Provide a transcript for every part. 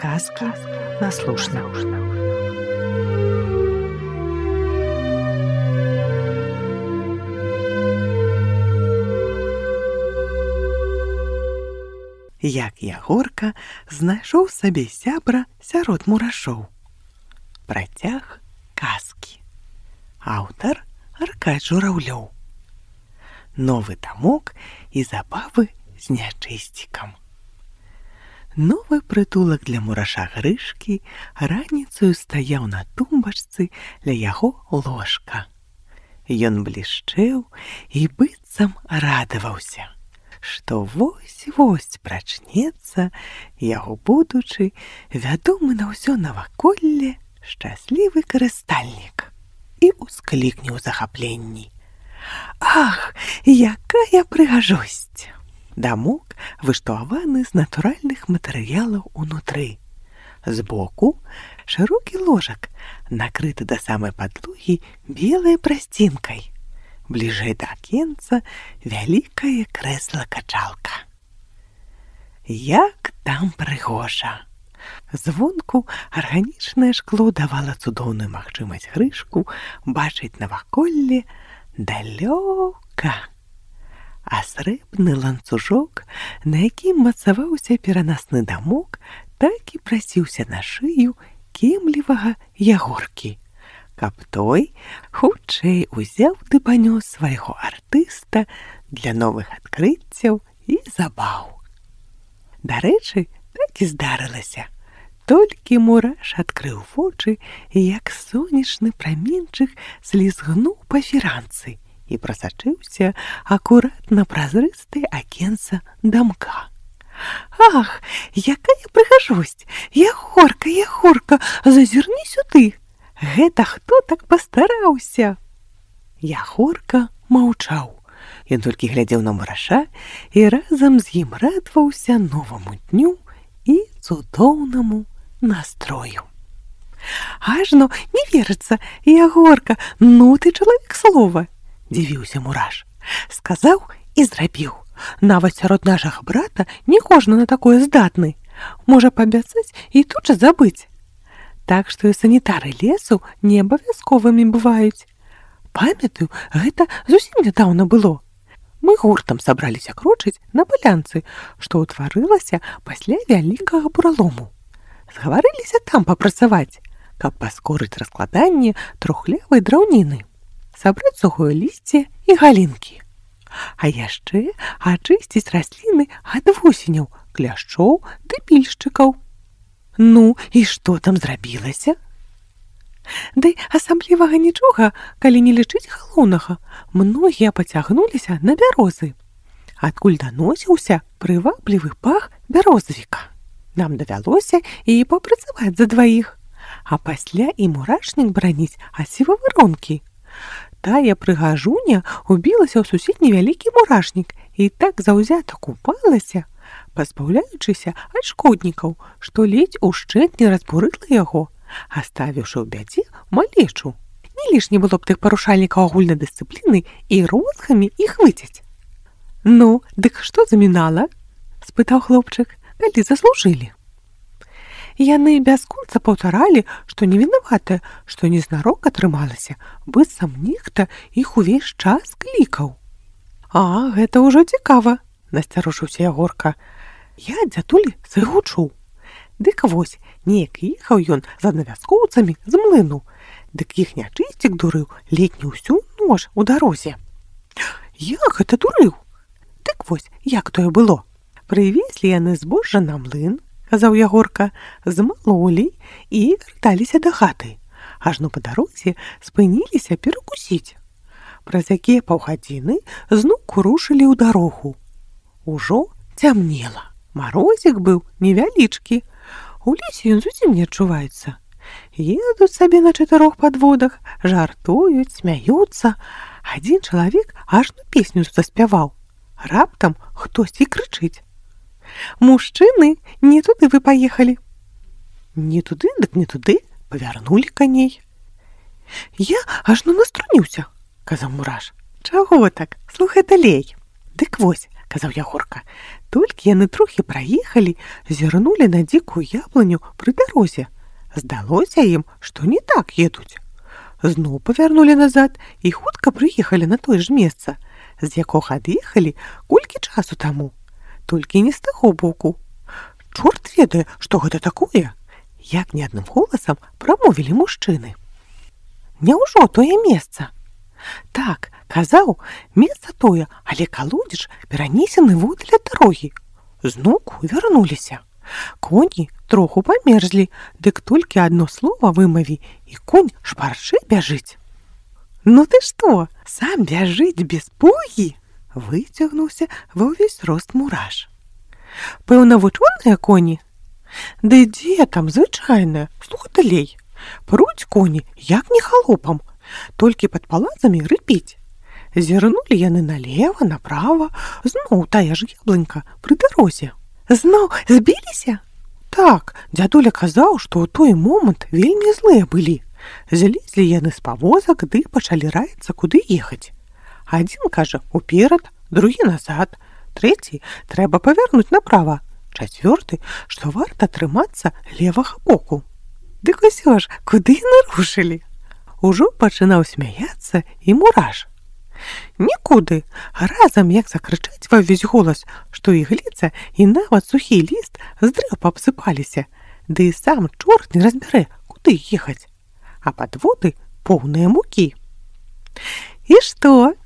Сказки на слушна. Як Ягорка знайшоў сабе сябра сярод мурашоў. Працяг казкі. Аўтар Аркадь Журавлёў. Новы тамок і забавы з нячысцікам. Новы прытулак для мураша Грышкі раніцаю стаяў на тумбачцы ля яго ложка. Ён блішчэў і быццам радаваўся, што вось-вось прачнецца яго будучы, вядомы на ўсё наваколле шчаслівы карыстальнік і ўсклікне ў захапленні: «Ах, якая прыгажосць!» Дамок выштуаваны з натуральных матэрыялаў унутры. Збоку шырокі ложак, накрыты да самай падлогі белай прасцінкай. Бліжэй да акенца вялікае крэсла-качалка. Як там прыгожа! Звонку арганічнае шкло давала цудоўную магчымасць Грышку бачыць наваколле далёка. А срэбны ланцужок, на якім мацаваўся перанасны дамок, так і прасіўся на шыю кемлівага Ягоркі, каб той хутчэй узяў ды панёс свайго артыста для новых адкрыццяў і забаў. Дарэчы, так і здарылася. Толькі мураш адкрыў вочы, як сонечны праменчык слізгнуў па фіранцы і прасачыўся акурат на празрыстае акенца дамка. «Ах, якая прыгажосць! Ягорка, Ягорка, зазірні сюды! Гэта хто так пастараўся?» Ягорка маўчаў. Ён толькі глядзеў на мураша і разам з ім радаваўся новаму дню і цудоўнаму настрою. «Ажно не верыцца, Ягорка, ну ты чалавек слова!» — дзівіўся мураш. «Сказаў і зрабіў. Нават сярод нашага брата не кожны на такое здатны. Можа паабяцаць і тут жа забыць. Так што і санітары лесу не абавязковымі бываюць. Памятаю, гэта зусім нядаўна было. Мы гуртам сабраліся крочыць на палянцы, што ўтварылася пасля вялікага буралому. Згаварыліся там папрацаваць, каб паскорыць раскладанне трухлявай драўніны, сабраць сухое лісце і галінкі. А яшчэ ачысціць расліны ад вусеняў, кляшчоў ды пільшчыкаў. Ну, і што там зрабілася? Ды асаблівага нічога, калі не лічыць галоўнага, многія пацягнуліся на бярозы, адкуль даносіўся прываблівы пах бярозавіка. Нам давялося і папрацаваць за дваіх, а пасля і мурашнік браніць ад сівавыронкі. Тая прыгажуня убілася ў суседні вялікі мурашнік і так заўзята купалася, пазбаўляючыся ад шкоднікаў, што ледзь ушчэнт не разбурыла яго, аставіўшы ў бядзе малечу. Не лішне было б тых парушальнікаў агульнай дысцыпліны і розгамі іх выцяць. «Ну, дык што замінала?» — спытаў хлопчык, калі заслужылі. Яны бясконца паўтаралі, што не вінаватыя, што незнарок атрымалася, быццам нехта іх увесь час клікаў. «А, гэта ўжо цікава», — насцярожыўся Ягорка. «Я дзядулі свайго чуў. Дык вось, неяк ехаў ён з аднавяскоўцамі з млыну, дык іх нячысцік дурыў ледзь не ўсю ноч у дарозе». «Як гэта дурыў?» «Дык вось, як тое было. Прывезлі яны збожжа на млын, — казаў Ягорка, — змалолі і вярталіся да хаты. Ажно па дарозе спыніліся перакусіць. Праз якія паўгадзіны зноў рушылі ў дарогу. Ужо цямнела. Марозік быў невялічкі. У лесе ён зусім не адчуваецца. Едуць сабе на 4 падводах, жартуюць, смяюцца. Адзін чалавек ажно песню заспяваў. Раптам хтосьці крычыць: «Мужчыны, не туды вы паехалі!» «Не туды, дык не туды, павярнулі коней». «Я ажно наструніўся», — казаў мураш. «Чаго так? Слухай далей». «Дык вось», — казаў Ягорка, Толькі яны трохі праехалі, зірнулі на дзікую яблыню пры дарозе. Здалося ім, што не так едуць. Зноў павярнулі назад і хутка прыехалі на тое ж месца, з якога ад'ехалі колькі часу таму. Толькі не з таго боку. Чорт ведае, што гэта такое, як не адным голасам прамовілі мужчыны. Няўжо тое месца? Так, казаў, месца тое, але калодзеж перанесены водля дарогі. Зноўку вярнуліся. Коні троху памерзлі, дык толькі адно слова вымаві, і конь шпарчэй бяжыць. Ну ты што, сам бяжыць без пугі? Выцягнуўся ва ўвесь рост Мураш. Пэўна, вучоныя коні? Ды дзе там, звычайная, слухай далей. Пруць коні, як не халопам, толькі пад палацамі рыпіць. Зірнулі яны налева, направа, зноў тая ж яблынька пры дарозе. Зноў збіліся? Так, дзядуля казаў, што ў той момант вельмі злыя былі. Злезлі яны з павозак, ды пачалі раіцца, куды ехаць. Адзін кажа уперад, другі назад, трэці трэба павярнуць направа, чацвёрты, што варта трымацца левага боку. Дык усё ж, куды яны рушылі? Ужо пачынаў смяяцца і Мураш. Нікуды, разам як закрычаць ва ўвесь голас, што ігліца і нават сухі ліст з дрэў пабсыпаліся, ды і сам чорт не разбярэ, куды ехаць. А падводы поўныя мукі. І што?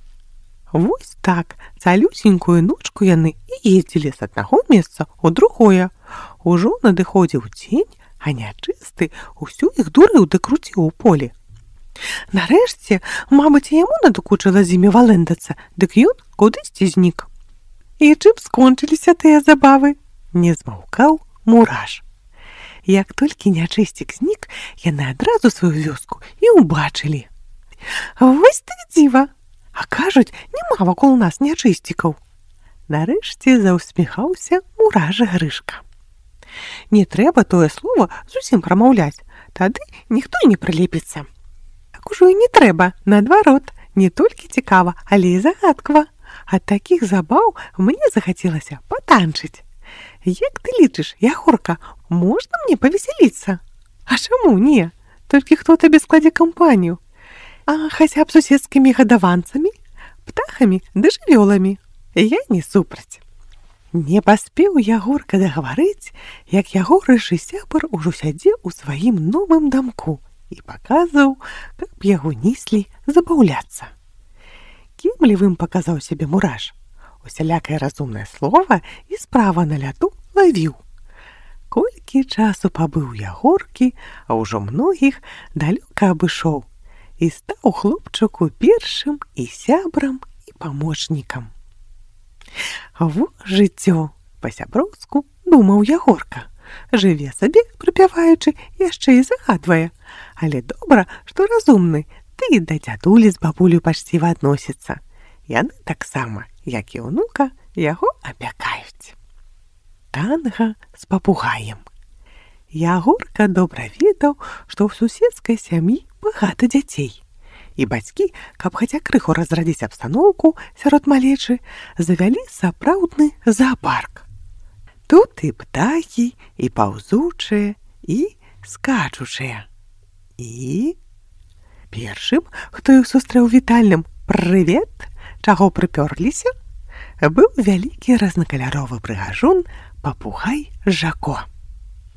Вось так, цалюсенькую ночку яны і ездзілі з аднаго месца ў другое. Ужо надыходзіў дзень, а нячысты ўсю іх дурыў ды круціў у полі. Нарэшце, мабыць, яму надакучыла з імі валэндацца, дык ён кудысьці знік. І чым скончыліся тыя забавы? Не змаўкаў Мураш. Як толькі нячысцік знік, яны адразу сваю вёску і ўбачылі. Вось так дзіва! А кажуць, няма вакол нас нячысцікаў. Нарэшце заўсміхаўся Мураш Грышка. Не трэба тое слова зусім прамаўляць, тады ніхто і не прылепіцца. Так ужо і не трэба, наадварот, не толькі цікава, але і загадкава. Ад такіх забаў мне захацелася патанчыць. Як ты лічыш, Ягорка, можна мне павесяліцца? А чаму не? Толькі хто табе складзе кампанію? А хаця б суседскімі гадаванцамі, птахамі ды жывёламі. Я не супраць. Не паспеў Ягорка дагаварыць, як яго рыжы сябар ужо сядзеў у сваім новым дамку і паказваў, каб яго неслі забаўляцца. Кемлівым паказаў сябе Мураш. Усялякае разумнае слова і справа на ляту лавіў. Колькі часу пабыў Ягоркі, а ўжо многіх далёка абышоў і стаў хлопчыку першым і сябрам і памочнікам. Во жыццё, па-сяброўску думаў Ягорка. Жыве сабе, прыпяваючы, яшчэ і загадвае. Але добра, што разумны, ты да дзядулі з бабулю пачціва адносіцца. Яны таксама, як і ўнука, яго апякаюць. Танга з папугаем. Ягорка добра ведаў, што ў суседскай сям'і багата дзяцей. І бацькі, каб хаця крыху разрадзіць абстаноўку сярод малечы, завялі сапраўдны заапарк. Тут і птахі, і паўзучыя, і скачучыя. І першым, хто іх сустрэў вітальным «Прывет!», чаго прыпёрліся, быў вялікі разнакаляровы прыгажун папугай Жако.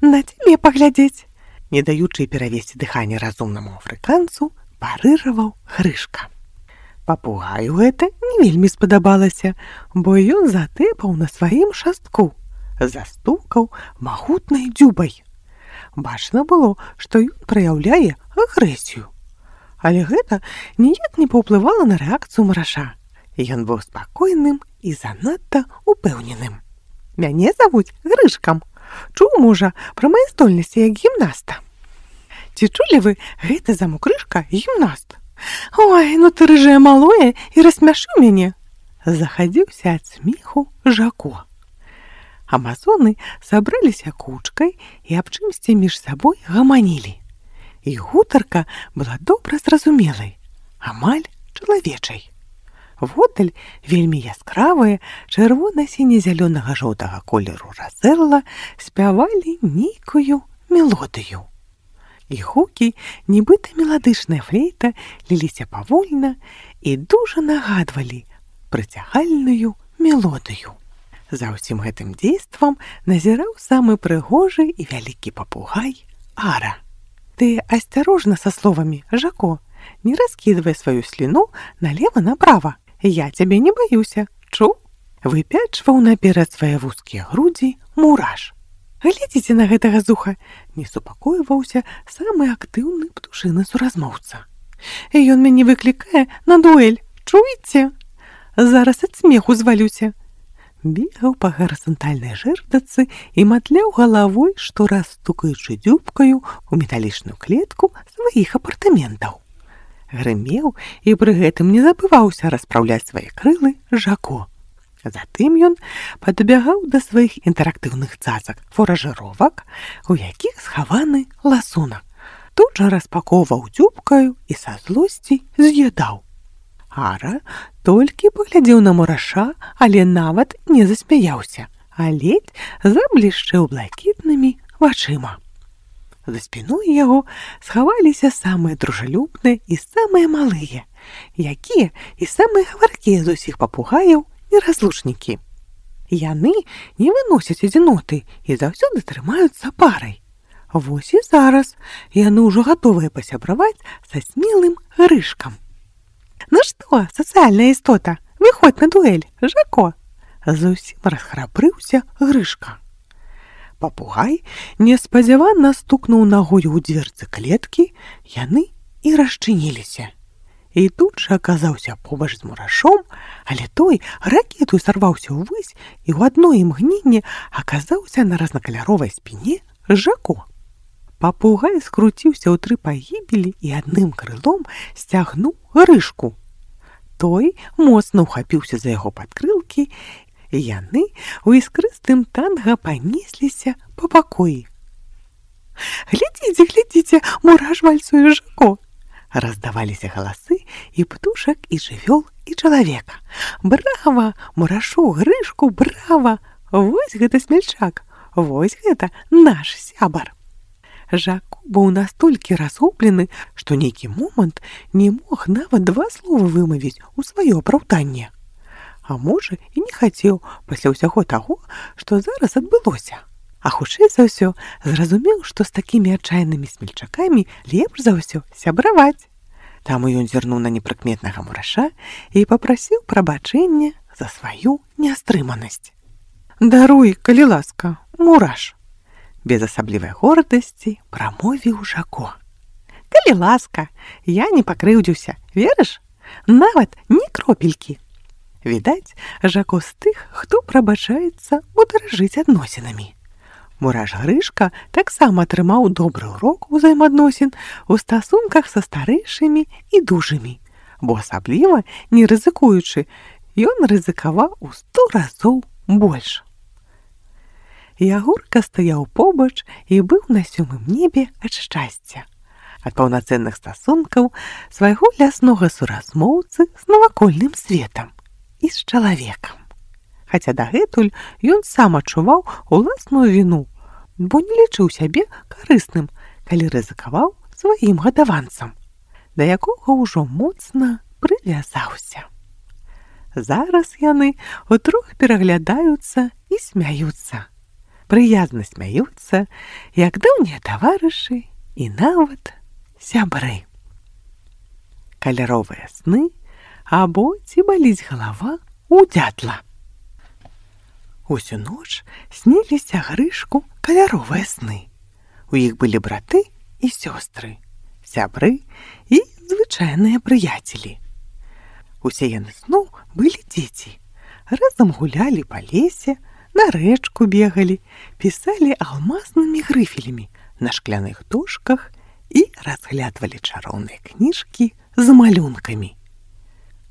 На цябе паглядзець, не даючы перавесці дыханне разумнаму афрыканцу, парыраваў Грышка. Папугаю гэта не вельмі спадабалася, бо ён затэпаў на сваім шастку, застукаў магутнай дзюбай. Бачна было, што ён праяўляе агрэсію. Але гэта ніяк не паўплывала на рэакцыю Мураша. Ён быў спакойным і занадта упэўненым. Мяне завуць Грышкам. Чуў, можа, пра мае здольнасці як гімнаста. Ці чулі вы, гэты замокрышка гімнаст? Ой, ну ты рыжае малое і рассмяшыў мяне. Захадзіўся ад смеху Жако. Амазоны сабраліся кучкай і аб чымсьці між сабой гаманілі. І гутарка была добра зразумелай, амаль чалавечай. Воддаль вельмі яскравыя, чырвона-сіне-зялёнага жоўтага колеру разэрла спявалі нейкую мелодыю. І гукі, нібыта меладычная флейта, ліліся павольна і дужа нагадвалі прыцягальную мелодыю. За ўсім гэтым дзействам назіраў самы прыгожы і вялікі папугай Ара. Ты асцярожна са словамі, Жако, не раскидывай сваю сліну налево-направо. Я цябе не баюся, чуў? Выпячваў наперад свае вузкія грудзі Мураш. Глядзіце на гэтага зуха, не супакойваўся самы актыўны птушыны суразмоўца. Ён мяне выклікае на дуэль, чуеце? Зараз ад смеху звалюся. Бегаў па гарызантальнай жэрдацы і матляў галавой, штораз стукаючы дзюбкаю ў металічную клетку сваіх апартаментаў. Грымеў і пры гэтым не забываўся распраўляць свае крылы Жако. Затым ён падбягаў да сваіх інтэрактыўных цацак фуражыровак, у якіх схаваны ласунак. Тут жа распаковваў дзюбкаю і са злосці з'ядаў. Ара толькі паглядзеў на Мураша, але нават не засмяяўся, а ледзь заблішчэў блакітнымі вачыма. За спіной яго схаваліся самыя дружалюбныя і самыя малыя, якія і самыя гаваркія з усіх папугаяў неразлучнікі. Яны не выносяць адзіноты і заўсёды трымаюцца парай. Вось і зараз яны ўжо гатовыя пасябраваць са смелым Грышкам. Ну што, сацыяльная істота, выходь на дуэль, Жако! Зусім расхрабрыўся Грышка. Папугай неспадзявана стукнуў нагою ў дзверцы клеткі, яны і расчыніліся. І тут жа аказаўся побач з Мурашом, але той ракету сарваўся ўвысь і ў адно імгненне аказаўся на разнакаляровай спіне Жако. Папугай скруціўся ў 3 пагібелі і адным крылом сцягнуў Грышку. Той моцна ўхапіўся за яго падкрылкі, і яны ў іскрыстым танга панесліся па пакоі. Глядзіце, глядзіце, Мураш вальсуе Жако! Раздаваліся галасы і птушак, і жывёл, і чалавека. Брава, Мурашу, Грышку, брава! Вось гэта смельчак, вось гэта наш сябар. Жако быў настолькі разгублены, што нейкі момант не мог нават 2 словы вымавіць у сваё апраўданне. А можа, і не хацеў пасля ўсяго таго, што зараз адбылося. А хутчэй за ўсё зразумеў, што з такімі адчайнымі смельчакамі лепш за ўсё сябраваць. Таму ён зірнуў на непрыкметнага Мураша і папрасіў прабачэння за сваю нястрыманасць. Даруй, калі ласка, Мураш! Без асаблівай гордасці прамовіў Жако. Калі ласка, я не пакрыўдзіўся, верыш? Нават ні кропелькі. Відаць, Жако з тых, хто прабачаецца ударажыць адносінамі. Мураш Грышка таксама атрымаў добры урок узаемадносін у стасунках са старэйшымі і дужымі, бо асабліва не рызыкуючы, ён рызыкаваў у 100 разоў больш. Ягорка стаяў побач і быў на 7-м небе ад шчасця, ад паўнацэнных стасункаў свайго ляснога суразмоўцы з навакольным светам і з чалавекам. Хаця дагэтуль ён сам адчуваў уласную віну, бо не лічыў сябе карысным, калі рызыкаваў сваім гадаванцам, да якога ўжо моцна прывязаўся. Зараз яны утрох пераглядаюцца і смяюцца. Прыязна смяюцца, як даўнія таварышы і нават сябры. Каляровыя сны або ці баліць галава у дятла. Усю ноч сніліся Грышку каляровыя сны. У іх былі браты і сёстры, сябры і звычайныя прыяцелі. Усе яны зноў былі дзеці. Разам гулялі па лесе, на рэчку бегалі, пісалі алмазнымі грыфелямі на шкляных дошках і разглядвалі чароўныя кніжкі з малюнкамі.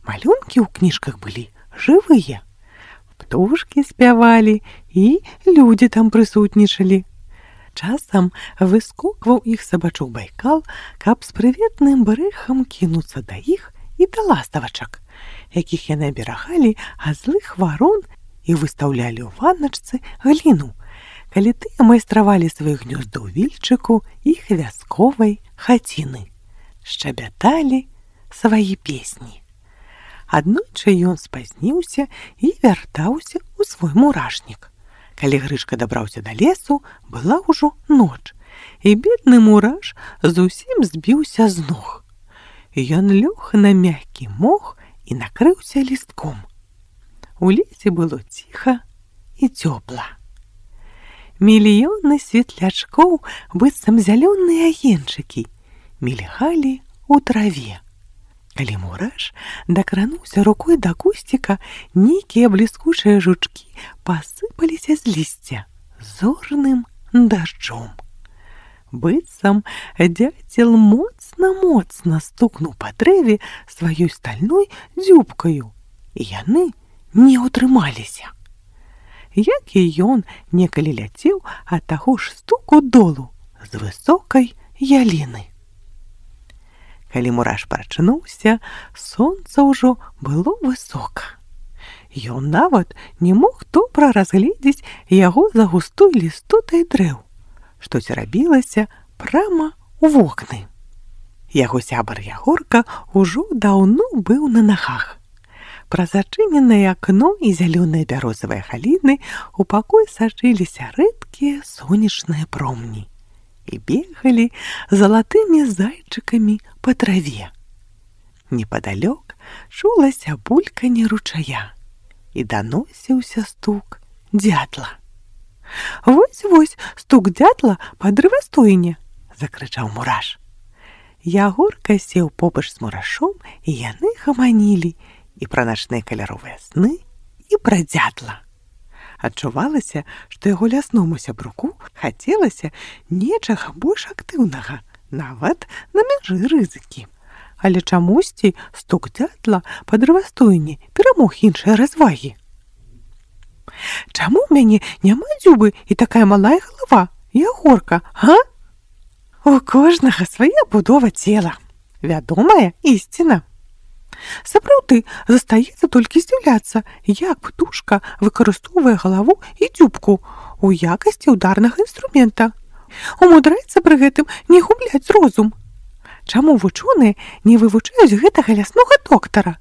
Малюнкі ў кніжках былі жывыя. Птушкі спявалі і людзі там прысутнічалі. Часам выскокваў іх сабачок Байкал, каб з прыветным брэхам кінуцца да іх і да ластавачак, якіх яны аберагалі ад злых варон і выстаўлялі ў ванначцы гліну, калі тыя майстравалі свае гнёзды ў вільчыку іх вясковай хаціны, шчабяталі свае песні. Аднойчы ён спазніўся і вяртаўся ў свой мурашнік. Калі Грышка дабраўся да лесу, была ўжо ноч, і бедны мураш зусім збіўся з ног. Ён лёг на мяккі мох і накрыўся лістком. У лесе было ціха і цёпла. Мільёны светлячкоў, быццам зялёныя агеньчыкі, мільгалі ў траве. Калі мураш дакрануўся рукой да кусціка, нейкія бліскучыя жучкі пасыпаліся з лісця зорным дажджом. Быццам дзяцел моцна-моцна стукнуў па дрэве сваёй стальной дзюбкаю, і яны не ўтрымаліся. Як і ён некалі ляцеў ад таго ж стуку долу з высокай яліны. Калі мураш прачнуўся, сонца ўжо было высока. Ён нават не мог добра разгледзець яго за густой лістотай дрэў, што церабілася прама ў вокны. Яго сябар Ягорка ўжо даўно быў на нагах. Праз адчыненае акно і зялёныя бярозавыя халіны у пакой сачыліся рэдкія сонечныя промні і бегалі залатымі зайчыкамі па траве. Непадалёк чулася бульканне ручая і даносіўся стук дятла. «Вось-вось, стук дятла па дрывастойне!» – закрычаў мураш. Ягорка сеў побач з мурашом, і яны гаманілі і пра начныя каляровыя сны, і пра дятла. Адчувалася, што яго лясному сябруку хацелася нечага больш актыўнага, нават на мяжы рызыкі. Але чамусьці стук дятла па дрывастойне перамог іншыя развагі. «Чаму ў мяне няма дзюбы і такая малая галава, Ягорка, а?» «У кожнага свая будова цела, вядомая ісціна. Сапраўды, застаецца толькі здзіўляцца, як птушка выкарыстоўвае галаву і дзюбку у якасці ударнага інструмента. Умудряецца пры гэтым не губляць розум. Чаму вучоныя не вывучаюць гэтага ляснога доктара?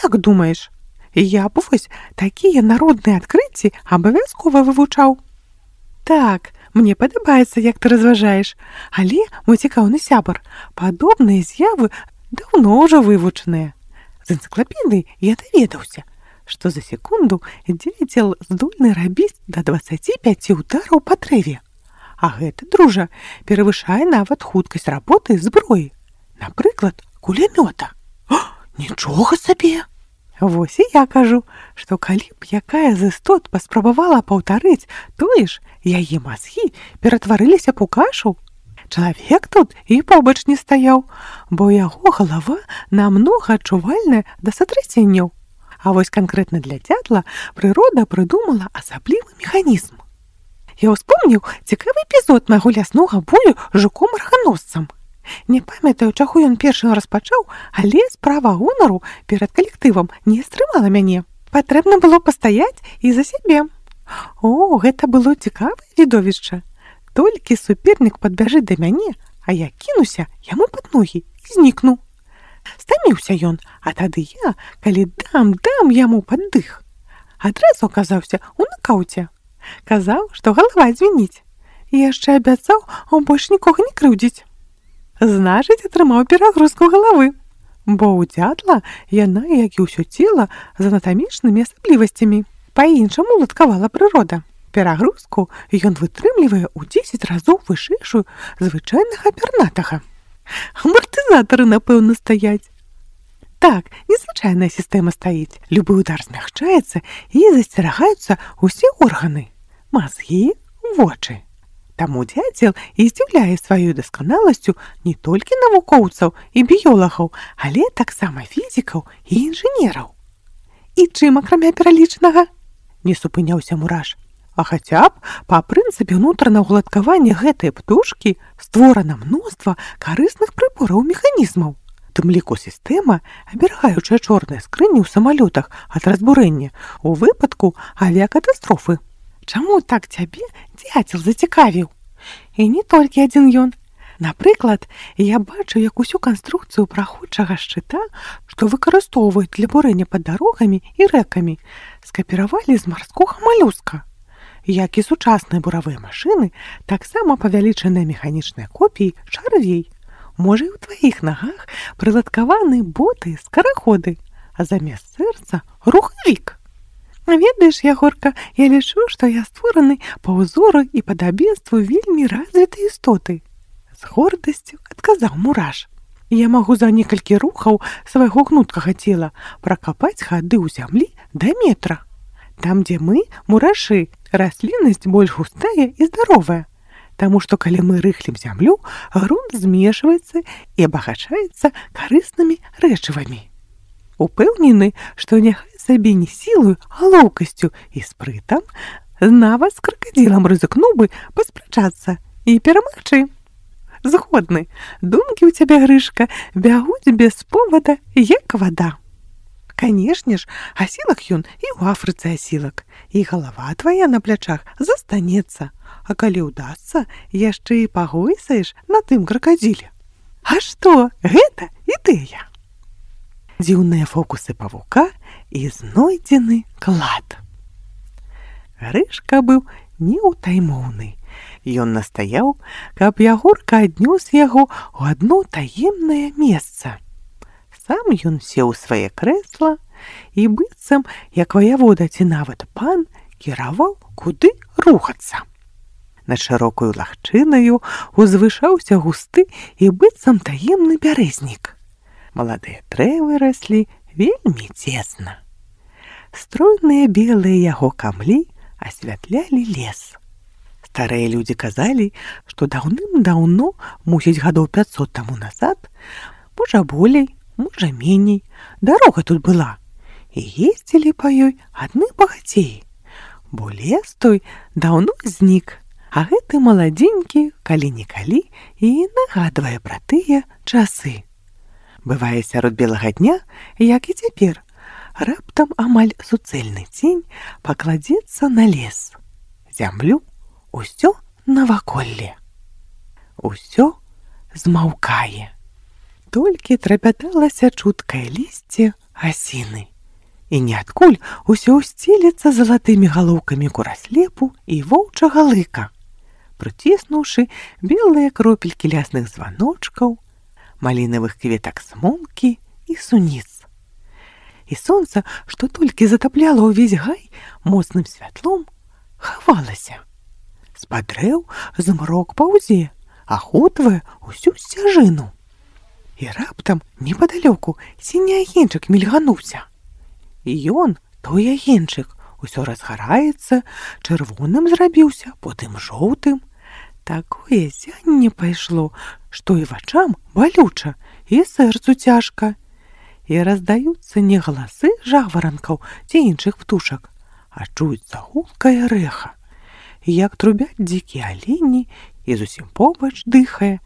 Як думаеш? Я б вось такія народныя адкрыцці абавязкова вывучаў». «Так, мне падабаецца, як ты разважаеш, але, мой цікаўны сябар, падобныя з'явы даўно ўжо вывучаныя. З энцыклапедыі я даведаўся, што за секунду дзяцел здольны рабіць да 25 удараў па дрэве. А гэта, дружа, перавышае нават хуткасць работы зброі. Напрыклад, кулямёта. Нічога сабе! Вось і я кажу, што калі б якая з істот паспрабавала паўтарыць тое ж, яе мазгі ператварыліся б у кашу. Чалавек тут і побач не стаяў, бо яго галава намнога адчувальная да сатрасенняў. А вось канкрэтна для дятла прырода прыдумала асаблівы механізм. Я ўспомніў цікавы эпізод майго ляснога бою з жуком-арганосцам. Не памятаю, чаго ён першым распачаў, але справа гонару перад калектывам не стрымала мяне. Патрэбна было пастаяць і за сябе. О, гэта было цікавае відовішча. Толькі супернік падбяжыць да мяне, а я кінуся яму пад ногі і знікну. Стаміўся ён, а тады я, калі дам яму пад дых, адразу аказаўся ў накаўце. Казаў, што галава звініць. І яшчэ абяцаў больш нікога не крыўдзіць. Значыць, атрымаў перагрузку галавы, бо ў дятла яна, як і ўсё цела, з анатамічнымі асаблівасцямі. Па-іншаму уладкавала прырода. Перагрузку ён вытрымлівае ў 10 разоў вышэйшую звычайнага пернатага. Амартызатары, напэўна, стаяць. Так, незвычайная сістэма стаіць. Любы удар змягчаецца і засцерагаюцца ўсе органы. Мазгі, вочы. Таму дзяцел і здзіўляе сваёй дасканаласцю не толькі навукоўцаў і біёлагаў, але таксама фізікаў і інжынераў. І чым, акрамя пералічанага? Не супыняўся мураш. А хаця б па прынцыпе ўнутранага уладкавання гэтай птушкі створана мноства карысных прыбораў механізмаў. тым ліку сістэма, аберагаючая чорныя скрыні ў самалётах ад разбурэння у выпадку авіякатастрофы. Чаму так цябе дзяцел зацікавіў? І не толькі адзін ён. Напрыклад, я бачу, як усю канструкцыю праходчага шчыта, што выкарыстоўваюць для бурэння пад дарогамі і рэкамі, скапіравалі з марскога малюска. Як і сучасныя буравыя машыны, таксама павялічаныя механічныя копіі чарвей. Можа, і ў тваіх нагах прыладкаваны боты-скараходы, а замест сэрца – рухавік. Ведаеш, Ягорка, я лічу, што я створаны па ўзору і падабенству вельмі развітай істоты. З гордасцю адказаў Мураш. Я магу за некалькі рухаў свайго гнуткага цела пракапаць хады ў зямлі да метра. Там, дзе мы, мурашы, расліннасць больш густая і здаровая. Таму што калі мы рыхлім зямлю, грунт змешваецца і абагачаецца карыснымі рэчывамі. Упэўнены, што няхай сабе не сілаю, а лоўкасцю і спрытам, нават з кракадзілам рызыкнуў бы паспрачацца і перамагчы. Згодны, думкі ў цябе, Грышка, бягуць без повода, як вада. Канешне ж, асілак ён і ў Афрыцы асілак, і галава твая на плячах застанецца, а калі ўдасца, яшчэ і пагойсаеш на тым кракадзіле. А што, гэта ідэя. Дзіўныя фокусы павука і знойдзены клад. Грышка быў неўтаймоўны. Ён настаяў, каб Ягорка аднёс яго ў адно таемнае месца. Сам ён сеў у свае крэсла і быццам, як ваявода ці нават пан, кіраваў, куды рухацца. Над шырокаю лагчынаю узвышаўся густы і быццам таемны бярэзнік. Маладыя дрэвы раслі вельмі цесна. Стройныя белыя яго камлі асвятлялі лес. Старыя людзі казалі, што даўным-даўно, мусіць гадоў 500 таму назад, можа болей, можа меней, дарога тут была, і ездзілі па ёй адны багацеі, бо лес той даўно знік, а гэты маладзенькі калі-нікалі і нагадвае пра тыя часы. Бывае, сярод белага дня, як і цяпер, раптам амаль суцэльны цень пакладзецца на лес, зямлю, усё наваколле. Усё змаўкае. Толькі трапяталася чуткае лісце асіны. І ніадкуль усё сцелецца залатымі галоўкамі кураслепу і воўчага лыка, прыціснуўшы белыя кропелькі лясных званочкаў, малінавых кветак смолкі і суніц. І сонца, што толькі затапляла ўвесь гай моцным святлом, хавалася. З-пад дрэў змрок паўзе, ахутвае усю сцяжыну. І раптам непадалёку сіні агеньчык мільгануўся. І ён, той агеньчык, усё разгараецца, чырвоным зрабіўся, потым жоўтым. Такое зянне пайшло, што і вачам балюча, і сэрцу цяжка. І раздаюцца не галасы жаворанкаў ці іншых птушак, а чуецца гулкае рэха. Як трубяць дзікія алені, і зусім побач дыхае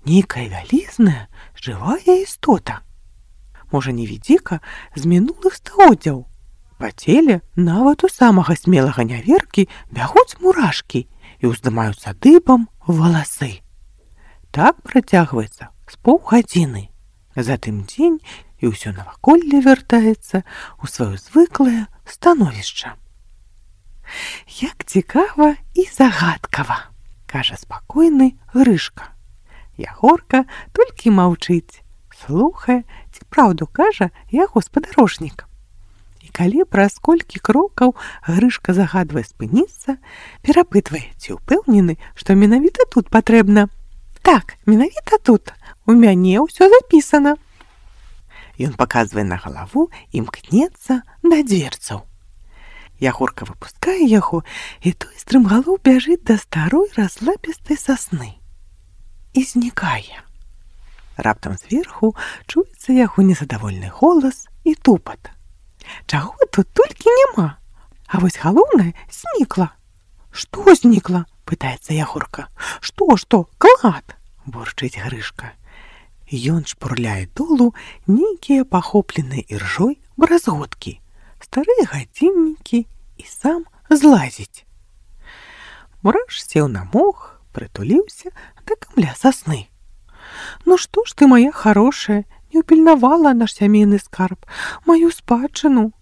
нейкая вялізная, жывая істота. Можа, невідзіка з мінулых стагоддзяў. Па целе нават у самага смелага няверкі бягуць мурашкі і ўздымаюцца дыбам валасы. Так працягваецца з паўгадзіны. Затым дзень і ўсё наваколле вяртаецца ў сваё звыклае становішча. Як цікава і загадкава, кажа спакойны Грышка. Ягорка толькі маўчыць, слухае, ці праўду кажа яго спадарожнік. І калі праз колькі крокаў Грышка загадвае спыніцца, перапытвае, ці ўпэўнены, што менавіта тут патрэбна. Так, менавіта тут, у мяне ўсё запісана. Ён паказвае на галаву і мкнецца да дзверцаў. Ягорка выпускае яго, і той стрымгалоў бяжыць да старой разлапістай сасны. І знікае. Раптам зверху чуецца яго незадавольны голас і тупат. Чаго тут толькі няма? А вось галоўнае знікла. Што знікла? Пытаецца Ягорка. Што? Клад? Бурчыць Грышка. Ён шпурляе долу нейкія пахопленыя іржой бразготкі, старыя гадзіннікі і сам злазіць. Мураш сеў на мох, прытуліўся да камля сасны. Ну што ж ты, моя хорошая, не ўпільнавала наш сямейны скарб, маю спадчыну.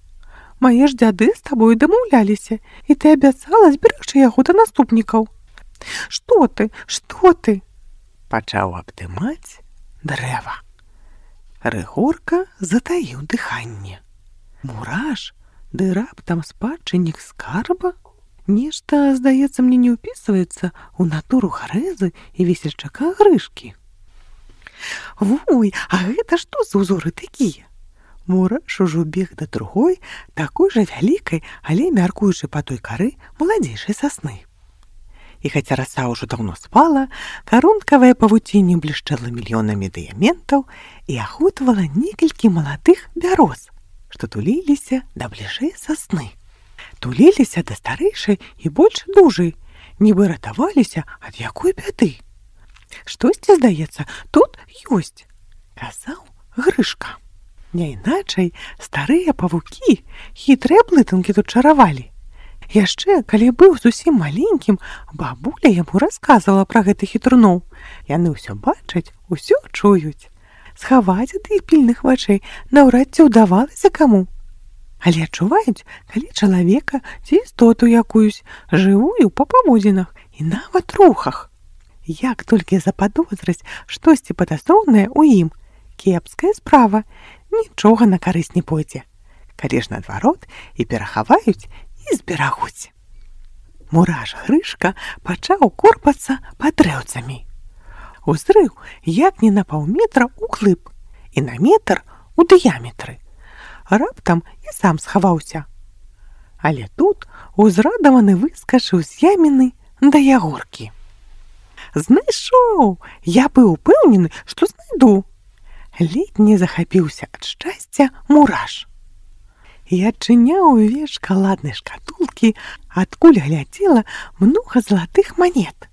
Мае ж дзяды з табою дамаўляліся, і ты абяцала зберагчы яго да наступнікаў. Што ты, што ты? Пачаў абдымаць дрэва. Рыгорка затаіў дыханне. Мураш, ды раптам спадчыннік скарба? Нешта, здаецца, мне не ўпісваецца ў натуру Гарэзы і весельчака Грышкі. Вой, а гэта што за узоры такія? Мураш ужо бег да другой, такой жа вялікай, але мяркуючы па той кары маладзейшай сасны. І хаця раса ўжо даўно спала, карункавае павуцінне блішчэла мільёнамі дыяментаў і ахутвала некалькі маладых бяроз, што туліліся да бліжэй сасны. Туліліся да старэйшай і больш дужай, нібы ратаваліся ад якой бяды. Штосьці, здаецца, тут ёсць, казаў Грышка. Няйначай старыя павукі хітрыя блытанкі тут чаравалі. Яшчэ, калі быў зусім маленькім, бабуля яму расказвала пра гэтых хітруноў. Яны ўсё бачаць, усё чуюць. Схаваць ад іх пільных вачэй наўрад ці ўдавалася каму. Але адчуваюць, калі чалавека ці істоту якуюсь, жывую па паводзінах і нават рухах. Як толькі западозраць штосьці падазронае ў ім, кепская справа, нічога на карысць не пойдзе. Калі ж наадварот і перахаваюць, і зберагуць. Мураш Грышка пачаў корпацца пад дрэўцамі. Узрыў як не на паўметра ўглыб і на метр у дыяметры. Раптам і сам схаваўся. Але тут узрадаваны выскачыў з яміны да ягоркі. Знайшоў! Я быў упэўнены, што знайду. Ледзь не захапіўся ад шчасця Мураш. І адчыняў увесь шакаладнай шкатулкі, адкуль глядзела многа залатых манет.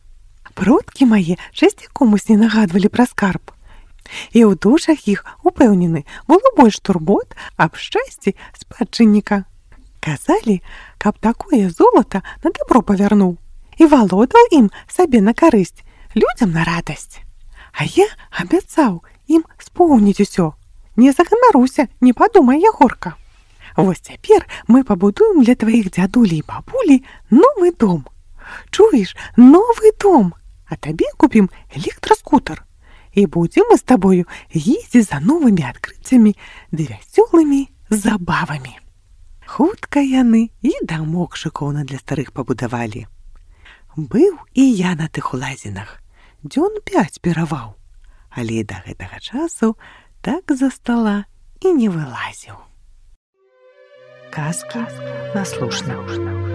Продкі мае часцяком усне нагадвалі пра скарб. І ў душах іх, упэўнены, было больш турбот аб шчасці спадчынніка. Казалі, каб такое золата на дабро павярнуў і валодаў ім сабе на карысць, людзям на радасць. А я абяцаў ім споўніць усё. Не заганаруся, не падумай, Ягорка. Вось цяпер мы пабудуем для тваіх дзядулі і бабулі новы дом. Чуеш, новы дом, а табе купім электраскутер. І будзем мы з табою ездзіць за новымі адкрыццямі ды вясёлымі забавамі. Хутка яны і дамок шыкоўна для старых пабудавалі. Быў і я на тых улазінах, дзён 5 піраваў, але да гэтага часу так за стала і не вылазіў. Казка наслушна.